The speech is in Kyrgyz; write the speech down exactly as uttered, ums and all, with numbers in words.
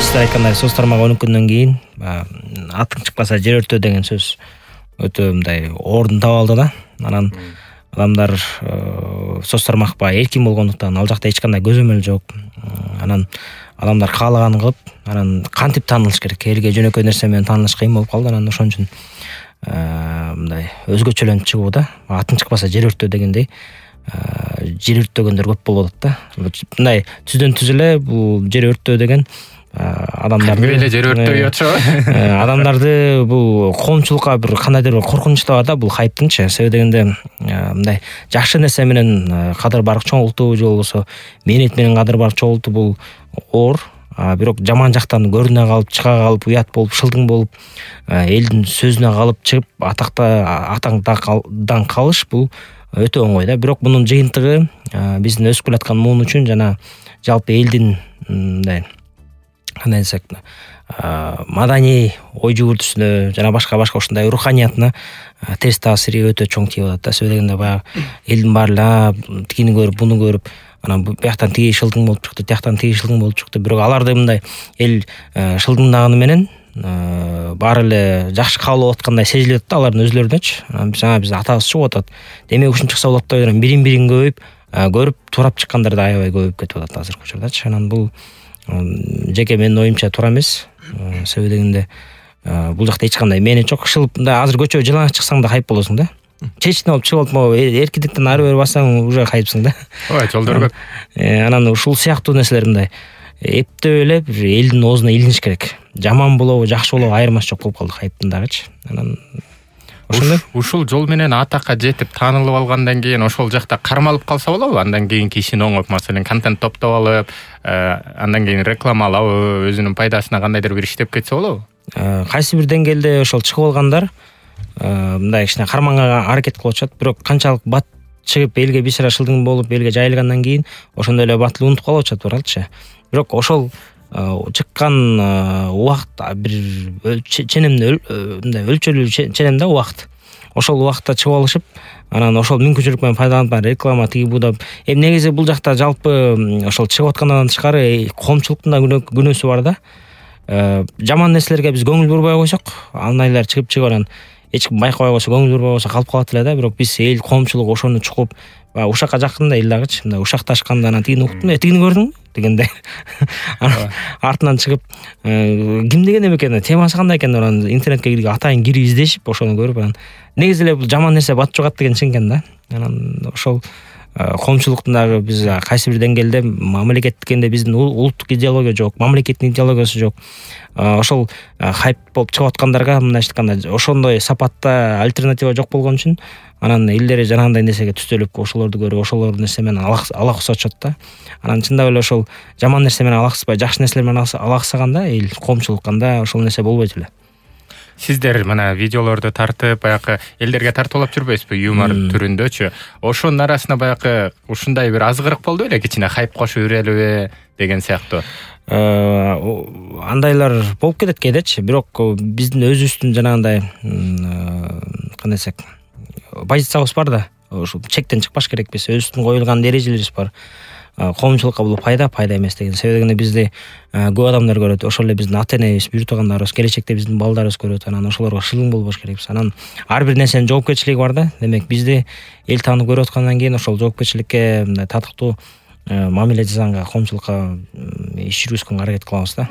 сиздер айткандай сөз тармагы он күндөн кийин атың чыкпаса жер өртөө деген сөз өтө мындай ордун таап алды да. Анан адамдар сөз тармак баягы эркин болгондуктан ал жакта эч кандай көзөмөл жок. Анан адамдар каалаганын кылып, анан кантип таанылыш керек? Элге жөнөкөй нерсе менен таанылыш кыйын болуп калды. Анан ошон үчүн мындай өзгөчөлөнүп чыгуу да. Атың чыкпаса жер өртөө дегендей жер өрттөгөндөр көп болуп атат да. Мындай түздөн түз эле бул жер өртөө деген адамдарды эле жер өртөй атышабы? Адамдарды бул коомчулукка бир кандайдыр бир коркунуч да бар да бул хайптыңчы. Себеби дегенде мындай жакшы нерсе менен кадыр барып чоңултуу же болбосо мээнет менен кадыр барып чоңултуу бул оор. Бирок жаман жактан көрүнө калып, чыга калып, уят болуп, шылдың болуп, элдин сөзүнө калып чыгып, атакта атаңдан калыш бул өтө оңой да. Бирок мунун жыйынтыгы биздин өсүп келаткан муун үчүн жана жалпы элдин мындай кандай десек, маданий ой жүгүртүсүнө жана башка-башка ушундай руханиятына терс таасири өтө чоң тийип атат да. Себеби дегенде баягы элдин баары тигини көрүп, буну көрүп, анан бияктан тиги шылдың болуп чыкты, тияктан тиги шылдың болуп чыкты. Бирок аларды мындай эл шылдыңдаганы менен баары эле жакшы кабыл алып аткандай сезилет да алардын өзүлөрүнөчү. Жана биз атабыз чыгып атат. Демек ушун чыкса болот деп ойлойм. Бирин-бирин көбөйүп, көрүп турап чыккандар да аябай көбөйүп кетип атат азыркы учурдачы. Анан бул жеке менин оюмча туура эмес. Себеби дегенде бул жакта эч кандай мээнет жок. Шылып мындай азыр көчөгө жылаңач чыксаң да хайп болосуң да. Чечине алып чыгып алып, эркиндиктен ары бери бассаң уже хайпсың да. Ой, жолдор көп. Анан ушул сыяктуу нерселер мындай эптеп эле бир элдин оозуна илиниш керек. Жаман болобу, жакшы болобу айырмасы жок болуп калды хайптын дагычы. Анан ошондой ушул жол менен атакка жетип таанылып алгандан кийин ошол жакта кармалып калса болобу? Андан кийин кишини оңоп, маселен, контент топтоп алып, андан кийин рекламалап, өзүнүн пайдасына кандайдыр бир иштеп кетсе болобу? Кайсы бир деңгээлде ошол чыгып алгандар мындай кичине карманга аракет кылып атышат. Бирок канчалык бат чыгып элге бир сыра шылдың болуп, элге жайылгандан кийин ошондой эле батыл унутуп калып атышат баралчы. Бирок ошол чыккан убакыт бир ченемде мындай өлчөлүү ченем да убакыт. Ошол убакытта чыгып алышып, анан ошол мүмкүнчүлүк менен пайдаланып реклама тиги буда. Эми негизи бул жакта жалпы ошол чыгып аткандан тышкары коомчулуктун да күнөөсү бар да. Жаман нерселерге биз көңүл бурбай койсок, андайлар чыгып-чыгып анан эч ким байкабай койсо, көңүл бурбай койсо калып калат эле да. Бирок биз эл коомчулук ошону чукуп, ушакка жакын да эл дагычы, мындай ушакташканда анан тигини уктум, тигини көрдүңбү дегенде. Артынан чыгып, ким деген экен, темасы кандай экен деп анан интернетке кирип атайын кирип издешип, ошону көрүп анан негизи эле бул жаман нерсе батып жогат деген чынкен да. Анан ошол коомчулуктун дагы биз кайсы бир деңгээлде мамлекет дегенде биздин улуттук идеология жок, мамлекеттин идеологиясы жок. Ошол хайп болуп чыгып аткандарга мындайча айтканда ошондой сапатта альтернатива жок болгон үчүн анан элдери жанагындай нерсеге түстөлүп, ошолорду көрүп, ошолор нерсе менен алаксатышат да. Анан чындап эле ошол жаман нерсе менен алаксыбай, жакшы нерселер менен алаксаганда эл коомчулук анда ошол нерсе болбойт эле. Сиздер мына видеолорду тартып, баягы элдерге тартуулап жүрбөйсүзбү, юмор түрүндөчү? Ошонун арасында баягы ушундай бир азгырык болду беле, кичине хайп кошуп үрелби деген сыяктуу? Андайлар болуп кетет кээдечи, бирок биздин өзүбүздүн жанагындай кандай десек, позициябыз бар да. Ошол чектен чыкпаш керекпиз, өзүбүздүн коюлган эрежелерибиз бар. Коомчулукка бул пайда, пайда эмес деген. Себеби дегенде бизди көп адамдар көрөт. Ошол эле биздин ата-энебиз, бүйүртүгандарыбыз, келечекте биздин балдарыбыз көрөт. Анан ошолорго шылың болбош керекпиз. Анан ар бир нерсенин жоопкерчилиги бар да. Демек бизди эл таанып көрүп аткандан кийин ошол жоопкерчиликке мындай татыктуу мамиле жасаганга, коомчулукка иш жүргүзгөнгө аракет кылабыз да.